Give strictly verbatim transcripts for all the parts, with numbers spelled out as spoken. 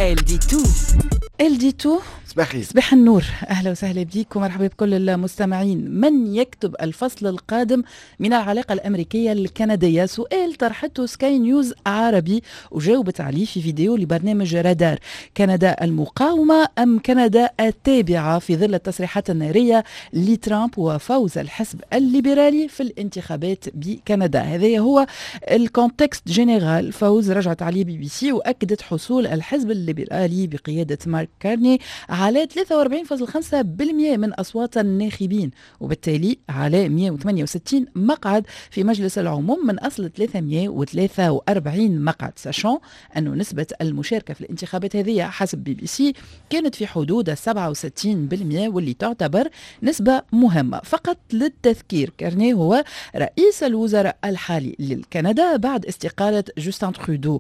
Elle dit tout. Elle dit tout. صباح الخير. صباح النور، اهلا وسهلا بك ومرحبا بكل المستمعين. من يكتب الفصل القادم من العلاقة الامريكية الكنديه؟ سؤال طرحته سكاي نيوز عربي وجاوبت عليه في فيديو لبرنامج رادار. كندا المقاومة ام كندا التابعة في ظل التصريحات النارية لترامب وفوز الحزب الليبرالي في الانتخابات بكندا؟ هذا هو ال contexte général. فوز رجعت عليه بي بي سي واكدت حصول الحزب الليبرالي بقيادة مارك كارني على ثلاثة وأربعين فاصل خمسة بالمئة من أصوات الناخبين، وبالتالي على مئة وثمانية وستين مقعد في مجلس العموم من أصل ثلاثمئة وثلاثة وأربعين مقعد، sachant أن نسبة المشاركة في الانتخابات هذه حسب بي بي سي كانت في حدود سبعة وستين بالمئة، واللي تعتبر نسبة مهمة. فقط للتذكير، كارني هو رئيس الوزراء الحالي للكندا بعد استقالة جوستن ترودو.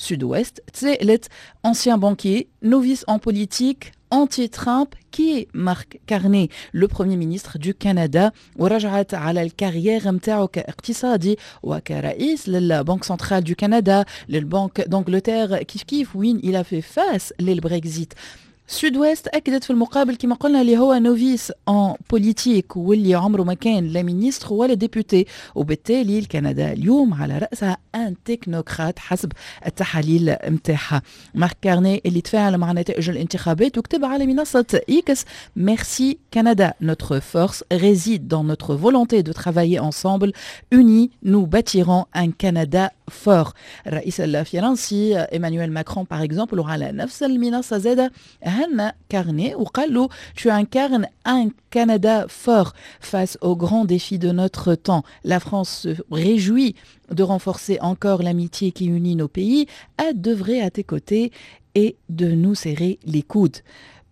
Sud Ouest تسألت: ancien banquier، novice en politique، anti-Trump، qui est Mark Carney، le Premier ministre du Canada؟ ورجعت على ال carrière متاعه كاقتصادي وكرئيس لل Banque centrale du Canada، لل Banque d'Angleterre كيف كيف، وين il a fait face لل Brexit. Sud Ouest اكدت في المقابل كما قلنا اللي هو novice en politique واللي عمره ما كان لا ministre ولا député، وبالتالي الكندا اليوم على راسها un technocrate حسب التحاليل نتاعها. مارك كارني اللي تفاعل مع نتائج الانتخابات وكتب على منصة إكس: Merci Canada، notre force réside dans notre volonté de travailler ensemble، unis nous bâtirons un Canada fort. الرئيس الفرنسي ايمانويل ماكرون par exemple على نفس المنصة زاد هنى كارني وقال له: tu incarnes un Canada fort face aux grands défis de notre temps. La France se réjouit de renforcer encore l'amitié qui unit nos pays, hâte d'œuvrer à tes côtés et de nous serrer les coudes.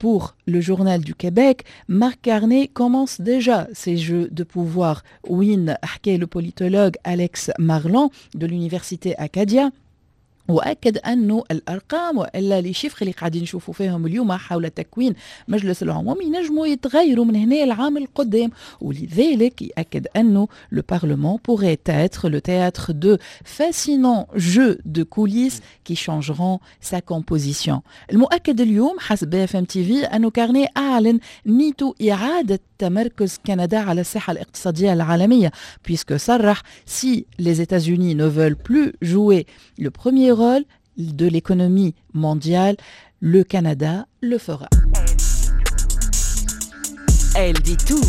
Pour le Journal du Québec, Mark Carney commence déjà ses jeux de pouvoir. وين حكى le politologue Alex Marland de l'université Acadia واكد انه الارقام والا les chiffres اللي قاعدين نشوفوا فيهم اليوم حول تكوين مجلس العموم ينجموا يتغيروا من هنا العام القدام، ولذلك ياكد انه le parlement pourrait être le théâtre de fascinants jeux de coulisses qui changeront sa composition. المؤكد اليوم حسب بي اف ام تي في انه كارني اعلن نيته اعاده تمركز كندا على الساحة الاقتصادية العالميه، puisque صرح: si les États-Unis ne veulent plus jouer le premier rôle de l'économie mondiale، le Canada le fera. Elle dit tout.